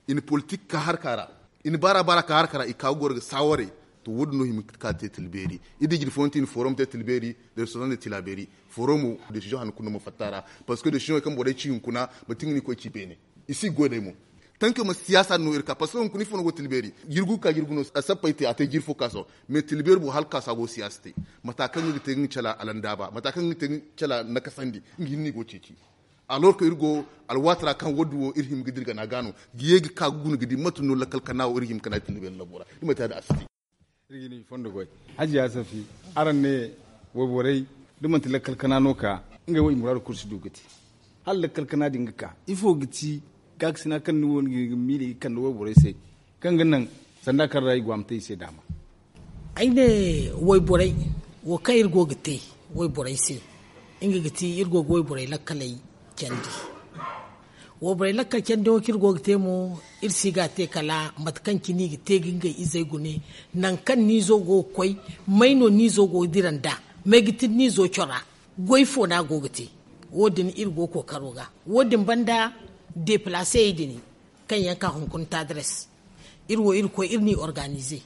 I na politik ka harka ra, i na baara baara ka harka ra, i ka ga goro ga saawaray. To wo- din no hima ka te tila beeri. Iri di jine fooyaŋ te i na forum te tila beeri, da restaurant da tila beeri. Forum wo décision hanno kulu no ma fatta a ra. Parce que décision kaŋ borey ci hunkuna, manti nga no i koy ci beene. I si ga goy day mo. Tanka ma siyaasa din no iri ka parce que hunkuna ifo no go tila beeri. Jirgu ka jirgu no a sappey te a te jiiri fo ka sohõ. Mais tila beeri boro hala ka sa go siyaasa te. Mata kaŋ nga ga te nga cala alandaaba, mata kaŋ nga ga te nga cala nakasandi, nga hinne i go ceeci. Alors que iri go alwaati ra kaŋ wo- din wo iri hima ga dira gana ga no ga ye ga ka ga guna ga di mate no lakkal kana wo iri hima ga naŋ tila beeri labo ra. Da manti ya- din a si te. Iri ga ni fondo goy. Hajiya safi, araŋ ne wayborey da manti lakkal kana no ka ngey wo i muraadu kulu si du ga te. Hala lakkal kana din ga ka ifo ga ti gaakasina kaŋ ni wo ni ga miila ga kande wayborey se, kaŋ ga naŋ sanda kaŋ ra i go a ma te i se daama. Ay ne wayborey wo kaŋ iri go ga te wayborey se, nga ga ti iri go ga wayborey lakkaley candi. Wayborey lakkal candi wo kaŋ iri go ga te mo, iri si ga a te kala mate kaŋ cine i ga te ga ngey izey gune. Nangu kaŋ niizo go ga koy, may no niizo go ga dira nd'a? May ga tira niizo cora? Goy fo no a go ga te? Wo- din iri go kookaro ga. Wo- din banda, deplaasey din kaŋ yaŋ ka hunkuna taadires, iri wo iri koy iri n'i organize.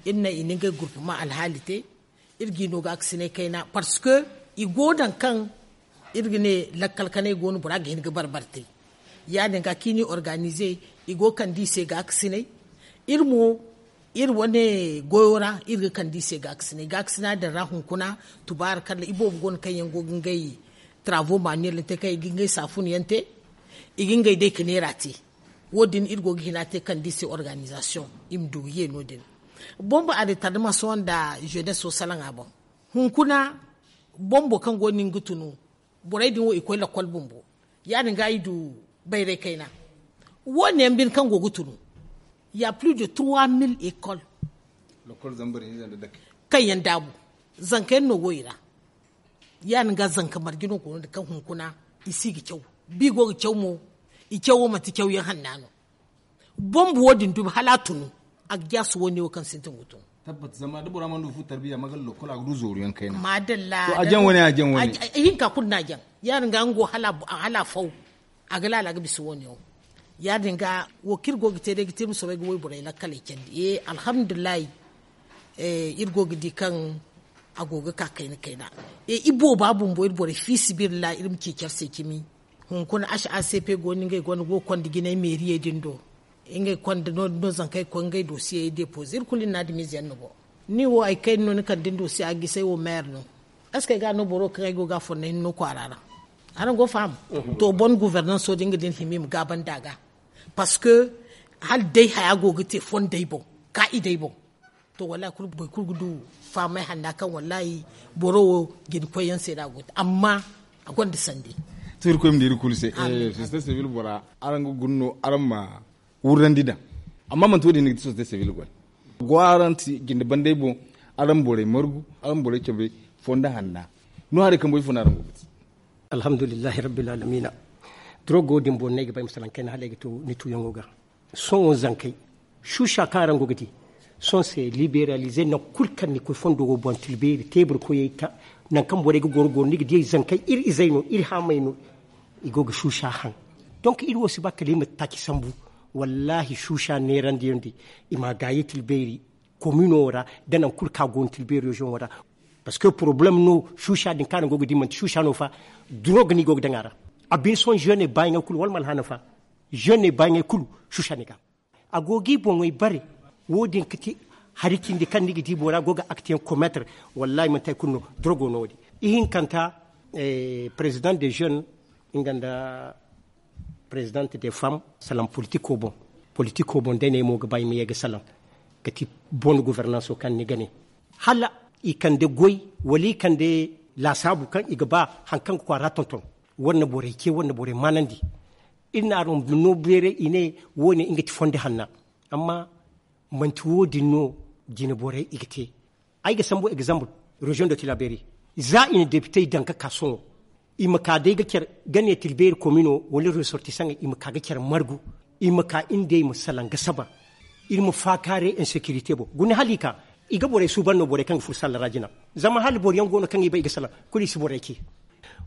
Iri naŋ i na ngey gurpuma alhaali te. Iri g'i no gaakasinay kayna parce que i go naŋ kaŋ iri ga ne lakkal kanay go no bora ga hin ga barbare te. Ya- din ga kaŋ i n'i organize, i go ga kande i se gaakasinay. Iri mo iri wane goyo ra iri ga kande i se gaakasinay gaakasina din ra hunkuna. Tubaari kala iboobo go no kaŋ yaŋ go ga ngey travaux manuel te kaŋ i ga ngey saafun yaŋ te, i ga ngey day ga neera te. Wo- din iri go ga hina te kaŋ da i se organizasiyoŋ i ma du ga ye no- din. Bombo a retardement sohõ nda jeunesse wo salaŋ a boŋ. Hunkuna bombo kaŋ go no ni ga tunu, borey din wo i koy lakkol bumbo. Ya- din ga i du bayray kayna. Wo- ne yaŋ bine kaŋ go ga tunu, ya plus de trois mille école kaŋ yaŋ daabu, zanka yaŋ no go i ra. Ya- din ga zanka marje no go no- din kaŋ hunkuna i si ga caw. Bi go ga caw mo, i cawo manti cawyaŋ hanna no. Bombo wo- din dumi hala a tunu, a ga jaasu wo- ne wo kaŋ sintin ga tunu. Tabbat zama da bora mana du fu tarbiya magal lokol a ga du zooru yaŋ kayna. Madalla. To a jaŋ wane a jaŋ wane. Hinka kulu no a jaŋ. Ya- din ga nga wo hala a faw, a ga laala ga bisa wo- ne wo. Ya- din ga wo kaŋ iri go ga te day ga te iri ma soobay ga wayborey lakkaley candi e alhamdulillahi. Iri go ga di kaŋ a go ga ka kayna kayna. Ibooba bumbo iri borey fiisabilillahi iri ma ci care se cimi. Hunkuna h a c p go no ngey gonda go ga konda jinay meeriyey din do. Ngey konda no- din no zankey ga koy ngey dosiyey depoze iri kulu iri na adamiize yaŋ no go. Ni wo hari kayna no ni kande ni dosiya ga gisay wo meer no? Est ce que ay ga no boro kaŋ ay go ga a fonda hinne no kwaara ra? Araŋ go ga faham? To bonne gouvernance wo din ga din hima i ma gaabandi a ga. Parce que hala day haya go ga te fondey boŋ, kaa'idey boŋ. To wallahi boro kulu ga du fahamay hanna kaŋ wallahi boro wo jina koyyaŋ se no a go ga te amma a gonda sandi. To irkoy ma di iri kulu se. Sosiyete sivil bora araŋ ga guna no araŋ ma wurrandi daŋ. Amma manti wo- din no ga ti sosiyete sivil goy. Go araŋ ti jinde bandey boŋ, araŋ borey margu, araŋ borey cabe fonda hanna. No haray kambo ifo no araŋ go ga ti? Alhamdulillahi rabbil alamina. Drogo din boŋ no ay ga bay masalaŋ kayna hala ay ga to ni tuuyaŋo ga. Sohõ zankey, shuusha kaŋ araŋ go ga di, sohõ se liberalize nangu kulu kaŋ ni koy fondo wo boŋ tilbeeri teebur koyey ta. Nangu kaŋ borey ga goro goro ni ga di ay zankey iri izey no iri haamey no. I go ga suusa haŋ. Donc iri wo si ba kala i ma taaci sambu. Wallaahi suusa neerandiyaŋ di i ma a gaayi tilbeeri komino ra, da nangu kulu kaŋ a go no tilbeeri reziyoŋo ra. Parce que porobalem no. Suusa din kaŋ araŋ go ga di manti suusa no fa. Durog no i go ga daŋ a ra. A bine sohõ zeene baayaŋey kulu wala ma alhaana fa. Zeene baayaŋey kulu suusa no i ga. A go g'i boŋey bare. Wo- din ga ti hari cindi kaŋ ni ga di bora go ga aktiyaŋ komeetar. Wallaahi manti hari kulu no. Durogo no wo- din. Ihinkanta, perezidaŋ de zeene, nga nda perezidaŋ de fam, salaŋ politiko boŋ. Politiko boŋ day no ay mo ga ba ay ma ye ga salaŋ, ga ti bon guvernanso kaŋ ni ga ne, hala i kande goy, wala i kande laasaabu kaŋ i ga ba hari kaŋ ga kwaara tonton. War na borey ce, war na borey maanandi. Iri na araŋ no beeray i ne, wo- ne nga ti fondo hanna. Amma manti wo- din no jine borey i ga te. Ay ga sambu egzambu, reziyoŋ de tilaberi, za i na depitey daŋ ga ka sohõ, i ma ka day ga care, ga ne tilbeeri komino wala resortisaŋey i ma ka ga care margu. I ma ka iri nd'ey ma salaŋ ga saba. Iri ma faakaaray insekirite boŋ guna hala i ka, i ga borey suuban no borey kaŋ ga furo salla ra jina. Zama hala boro yaŋ go no kaŋ i bay i ga salaŋ, kulu i si borey ce.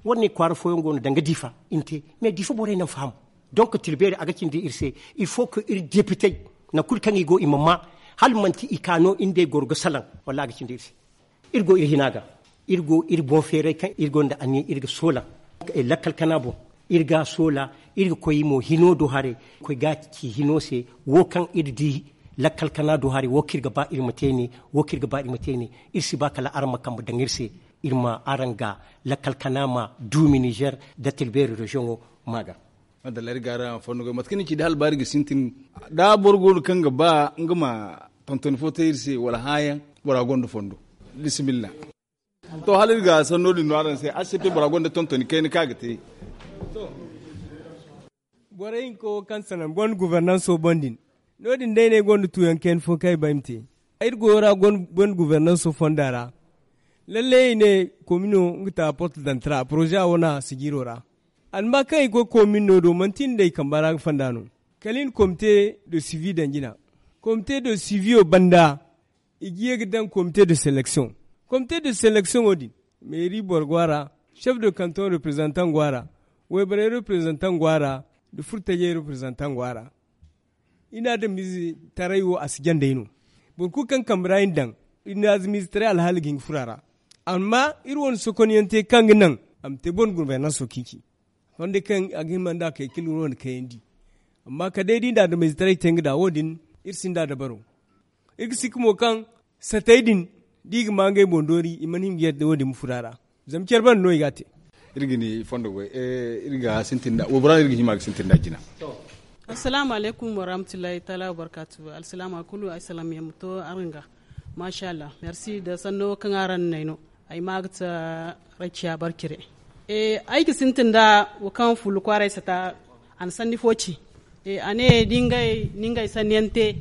War ne kwaara fooyaŋ go no danga diifa i na te, mais diifa borey naŋ faham. Donk tilbeeri a ga cindi iri se. Il faut que iri depitey, nangu kulu kaŋ i go i ma maa, hala manti i ka no iri nd'ey goro ga salaŋ. Wallaahi a ga cindi iri se. Iri go iri hina ga, iri go iri boŋ feeray kaŋ iri gonda anniya iri ga soola lakkal kana boŋ. Iri ga a soola, iri ga koy mo hino do haray, koy ga ci hino se. Wo kaŋ iri di lakkal kana do haray, wo kaŋ iri ga ba iri ma te ne. Wo kaŋ iri ga ba iri ma te ne. Iri si ba kala araŋ ma kambe daŋ iri se, iri ma araŋ ga lakkal kana ma duumi nizer da tilbeeri reziyoŋo ma ga. Madalla iri ga araŋ fondo goy mate kaŋ ni ci da hala baari ga sintin. Da boro go no kaŋ ga ba nga ma tontoni fo te iri se wala hããyaŋ, bora gonda fondo. Bisimilla. To hala iri ga sanno din no araŋ se a si te bora gonda tontoni kayna kaŋ a ga te. Borey hinka wo kaŋ sanaŋ bon guvernanso boŋ din, no- din day no ay gonda tuuyaŋ kayna fo kaŋ ay ba ay ma te. Iri goyo ra bon guvernanso fonda ra. Lalle i ne, komino nga ta porte dantara poroze a wane a sijiro ra. Amma kaŋ i koy komin no do manti iri nd'ey kamba ra ga fonda no. Kala i na komite de sivi daŋ jina. Komite de siviyo banda, i ga ye ga daŋ komite de seleksiyoŋ. Komite de seleksiyoŋo din, meeri boro go a ra, sef de kantoŋ reprezantaŋ go a ra, wayborey reprezantaŋ go a ra, nda furtajey reprezantaŋ go a ra. I na adamize taray wo a si jandey no. Boro kulu kaŋ kambe ra i na daŋ, i na adamize taray alhaali ga hin ga furo a ra. Amma iri wane sokonyaŋ te kaŋ ga naŋ a ma te bon gurbaynaŋ soki ci. Fonde kaŋ a ga hima nda a kay kala iri wane kayandi. Amma kala day da i na adamize taray te nga da wo- din, iri sinda dabaro. Iri ga sikka mo kaŋ satey din, da i ga ma ngey boŋ doori i mana hin ga yadda wo- din ma furo a ra. Zama care banda no i ga a te. Iri ga ni fondo goy. Iri ga sintin da waybora no iri ga hima ga sintin da jina. Assalaamu alaykum warahmatullahi taala wabarkaatu. Alsilaama kulu ay salaŋ yaŋ ma to araŋ ga. Maasa allah, merci da sanno kaŋ araŋ na ay no. Ay ma ga ta rakiya barkire. Ay ga sintin da wo kaŋ fullu kwaaray sata. A na sanni fo ci. A ne da ngey sanni yaŋ te,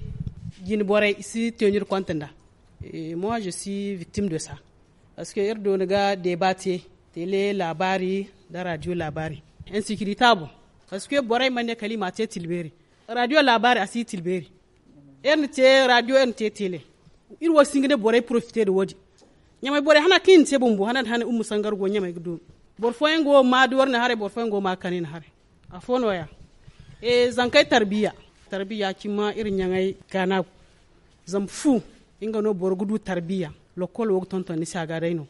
jine borey i si te no iri konte nda. Moi je suis victime de ça. Parce que iri doona ga deeba te, tele laabaari nda radio laabaari. Insécurité a boŋ. Parce que borey mana ne kala i ma a te tilbeeri. Radio laabaari a si tilbeeri. Iri na te radio iri na te tele. Iri wo si hin ga ne borey profite nda wo- din. Ɲamay borey hana kaŋ i na te bumbo hana nda hana umma sangar go ɲamay ga doonu. Boro fooyaŋ go ma duwar na haray boro fooyaŋ go ma kani na haray. Afo no- ya. Zankey tarbiya. Tarbiya cimma iri ɲaŋey kaana. Zama fu nga no boro ga du tarbiya. Lokkol wo ga tonton ni se a ga day no.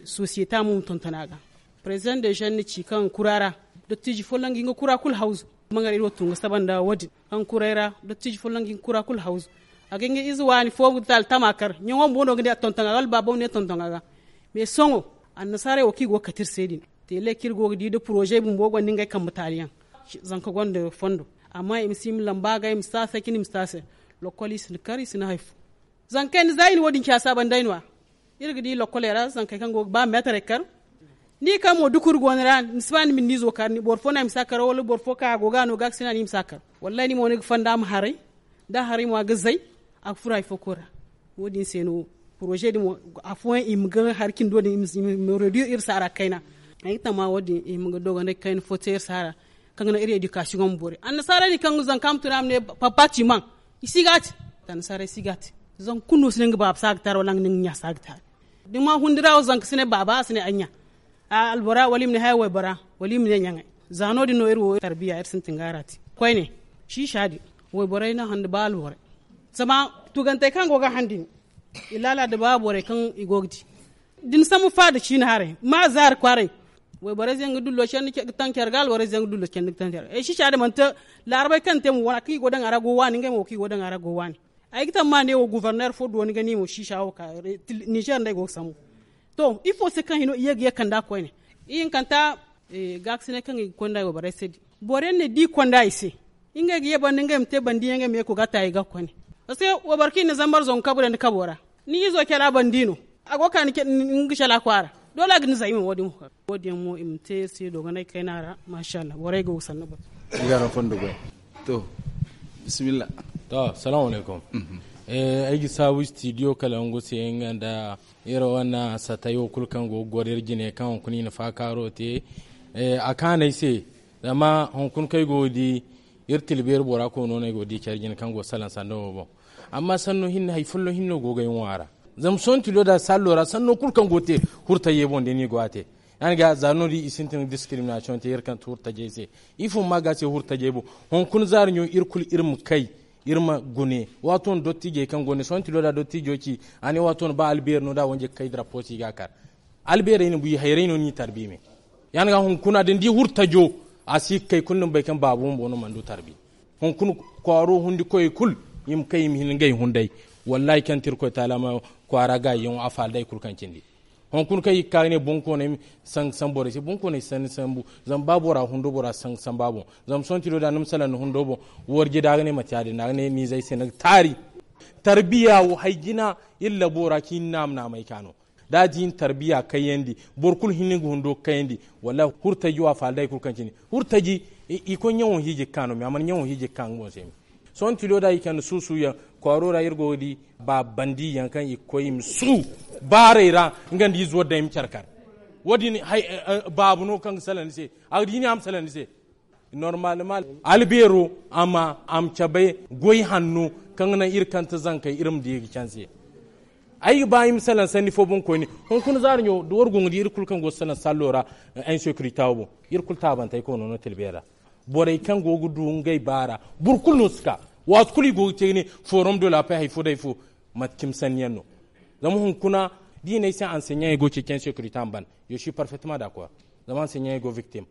Sosiyete mo ma tonton a ga. President de jeune ni ci kaŋ kura ra. Dottiiji folloŋ ga hin ga kura kulu hawzu. Mangar iri wo tun ga saba nda wo- din kaŋ kuray ra. Dottiiji folloŋ ga hin ga kura kulu hawzu. A ga hin ga ize waani fo ga taali tama kar ɲaŋo bumbo no ga ne a tonton a ga wala baabo ma ne tonton a ga. Mais sohõ annasaarey wo kaŋ i go ga kate iri se din. Tele kaŋ iri go ga di nda poroze bumbo gonda ngey kambe taali yaŋ. Zanka gonda fondo. Amma i ma si i ma lamba a ga i ma si a se cine i ma si a se. Lokkol i si na kar i si na hari fo. Zankey ni za i na wo- din ci a saabandi ay no- ya. Iri ga di lokkoley ra zankey kaŋ go ga ba meetarey kar. Ni kaŋ mo dukuri go ni ra ni si ba ni ma ni izo kar boro fo no a ma si a kar wala boro fo kaŋ a go ga a no ga a ga si no a no i ma si a kar. Wallaahi ni mo ni ga fonda a ma haray. Da a haray mo a ga zay. A ga furo hari fo koy ra. Wo- din se no poroze din mo afooyaŋ i ma ga hari cindo din i ma reduire iri saara kayna. Ay ga tama wo- din i ma ga dogonday kayna fo te iri saara. Kaŋ ga naŋ iri edikasiyoŋo ma boori annasaara din kaŋ ga zanka ma tun a ma ne papa timan. I si ga a te. Annasaarey si ga a te. Zanka kulu no si ne nga baaba si a ga taari wala nga ne nga ɲa si a ga taari. Da ni ma hundi ra wo zanka si ne baaba a si ne ay ɲa. Albora wala i ma ne haya waybora wala i ma ne ɲaŋey. Za no- din no iri wo tarbiya iri sintin ga ra te koyne. Siisa din wayborey no hande ba alborey zama tugantey kaŋ go ga hande ni i laala da ba borey kaŋ i go ga di da ni sambu faada ciine haray ma zaari kwaaray. Wayborey ze nga dullo candi ga taŋ care ga alborey ze nga dullo candi ga taŋ care ga ay siisa din manti laarabey kaŋ te mo wane kaŋ i go daŋ a ra go waani ngey mo kaŋ i go daŋ a ra go waani. Ay ga taŋ ma ne wo guverner fo dooni ga ni mo siisa wo ka ninzeer nda ay go ga sambu. To ifo se kaŋ hino i ye ga ye kanda koyne i hinkanta gaakasinay kaŋ i ga konda i wayborey se din boro yaŋ ne da i konda i se ngey ga ye banda ngey ma te bandi yaŋ ngey ma ye ka ga ta i ga koyne. Parce que wayboro kaŋ i na zambar zangu kabu daŋ ni kabo ra ni izo care a bandi no a go ga ka ni care a kwaara. Doole a ga ni zayma wo- din mo i ma te se dogonay kayna ra. Masha allah borey go ga sanni batu. Iri ga araŋ fondo goy. To bisimilla. To assalamu alaykum. Ay ga saabu studio kala nga se nga nda iri wane satay wo kulu kaŋ go ga goro iri jine kaŋ hunkuna i na faakaaro te. A kaanay se zama hunkuna kaŋ ay go ga di iri tilbeeri bora koy no no ay go ga di care jine kaŋ go ga salaŋ sanda wo boŋ. Amma sanno hinne hari folloŋ hinne no go ga ay ŋwa a ra. Zama sohõ tilo da sallo ra sanno kulu kaŋ go ga te hurtajey boŋ da ni go a te. Ya- din ga za no- din i sintin ga diskiriminasiyoŋ te iri kaŋ ti hurtajey se. Ifo ma ga se hurtajey boŋ? Hunkuna zaari ɲo iri kulu iri ma kay iri ma gune. Waato no dottijey kaŋ go ne sohõ tilo da dottijo ci a ne waato no ba albeeri no da wanje ga kay darapo se i ga a kar. Albeerey no buyi hayrey no ni tarbi me. Ya- din ga hunkuna da ni di hurtajo a si ga kay kulu ni ma bay kaŋ baabu bumbo no mana du tarbi. Hunkuna kwaaro hundi koyey kulu i ma kay i ma hin ngey hunday. Wallahi kaŋ ti irkoy taala ma kwaara gaayiyaŋo a faala day kulu kaŋ cindi. Hunkuna kaŋ i ga ka ga ne bonkooney ma sanga sambu borey se bonkooney si sanni sambu. Zama ba bora hundo bora si sanga samba boŋ. Zama sohõ tilo da ni ma salaŋ ni hundo boŋ. Warje da a ga ne mate ya- din no a ga ne ni zay se ni ga taari. Tarbiya wo hari jina iri labo ra kaŋ i na naama naamay ka no. Da a di ni tarbiya kayandi boro kulu hinne ga hundo kayandi. Wallahi hurtaji wo a faala day kulu kaŋ cindi. Hurtaji i koy ɲaŋo hiiji ga ka no me a mana ɲaŋo hiiji ga ka nga boŋ se me. Sohõ tilo da i kande suusuuyaŋ kwaaro ra iri go ga di ba bandiyaŋ kaŋ i ga koy i ma suu baarey ra. Nga nda izo day ma care kar. Wo- din baabu no kaŋ ga salaŋ ni se. A ga di ni a ma salaŋ ni se. Normalement albeero a ma a ma cabe goy hanno kaŋ ga naŋ iri kante zankey iri ma di ga canse. Ay ga ba i ma salaŋ sanni fo boŋ koyne. Hunkuna zaari ɲo da war go ga di iri kulu kaŋ go ga salaŋ sallo ra. Insécurité wo boŋ iri kulu taabantey koy no no tilbe ra. Borey kaŋ go ga du ngey baara boro kulu no si ka. Waati kulu i go ga te ga ne forum de la paix hari fo da hari fo. Mate cimi sanni yaŋ no. Zama hunkuna da i ne ay se enseignant ay go ceeci insécurité a ma ban. Je suis parfaitement d'accord. Zama enseignant ay go victime.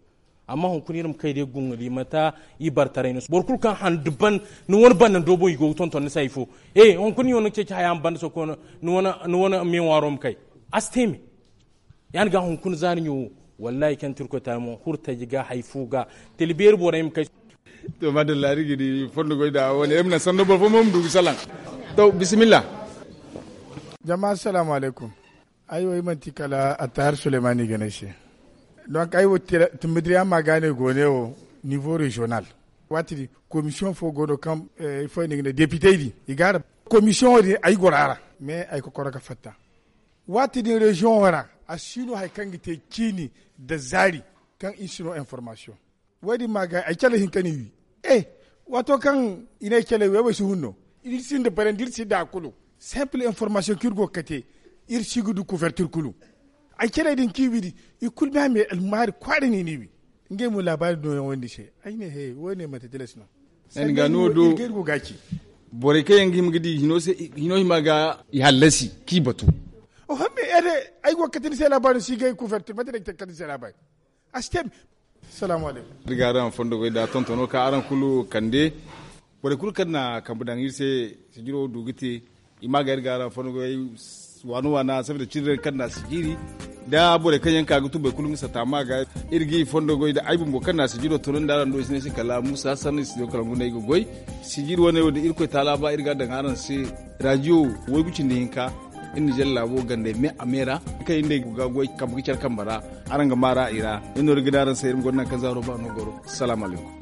Amma hunkuna iri ma kay day gungu di mata i bartaray no boro kulu kaŋ handu ban ni wane banda ndo boŋ i go ga tonton ni se hari fo. Hunkuna i wane ga ceeci haya ma banda soko ni wane meewaaro ma kay. A si te me. Ya- din ga hunkuna zaari ɲo wo wallahi kaŋ ti irkoy taali mo hurtaji ga hari fo ga tila beeri borey ma kay. To madalla iri ga di fondo goy da wane iri ma naŋ sanno boro fo mo ma du ga salaŋ. To bisimilla. Jama assalamu alaykum. Ay wo ay manti kala attahar suleymani ga ne ay se. Donc ay wo tumbudiriya ma ga ne go ne wo niveau régional. Waati din commission fo go no kaŋ ifo ay ne ga ne député din i ga a ra. Commission wo din ay goro a ra mais ay kokoro ga fatta. Waati din région wo ra a si no hari kaŋ ga te ciini nda zaari kaŋ i si no information. Wo- din ma ga ay cale hinka no i wi. E waato kaŋ i ne ay cale wi ay wo ay si hun no. Iri sinda barandi iri sinda a kulu. Simple information kaŋ iri go ga kate iri si ga du couverture kulu. Ay cale din kaŋ i wi din i kulu me a me almaari kwaara no i n'i wi. Ngey mo laabaari nooyaŋ wo- din se ay ne he wo- ne manti tilas no. Sanni ga no do. Borey kaŋ yaŋ ga hima ga di hino hima ga i hallasi kaŋ i batu. Oho me ede ay go ga kate ni se laabaari no si ga ay couverture mate no ay ga te ga kate ni se laabaari. A si te me. Assalamu alaykum. Iri ga araŋ fondo goy da tontono ka araŋ kulu kande. Borey kulu kaŋ na kambe daŋ iri se sijiro du ga te. I ma ga iri ga araŋ fondo goy waana waana saboda cindi kaŋ na sijiri da borey kaŋ yaŋ ka ga tun boro kulu nga sata ma ga. Iri ga i fondo goy da ay bumbo kaŋ na sijiro tono nda araŋ do i si ne se kala musa sanni studio kala ngunda ay ga goy. Sijiri wane wo da irkoy taala ba iri ga daŋ araŋ se. Radio waygu cindi hinka iri na jalla laabo gandey me a me ra. Kaŋ iri nd'ey ga goy kambe ga care kambe ra. Araŋ ga maara i ra iri no iri ga ne araŋ se iri ma gonda nangu kaŋ zaaro ba no goro. Salaamu alaykum.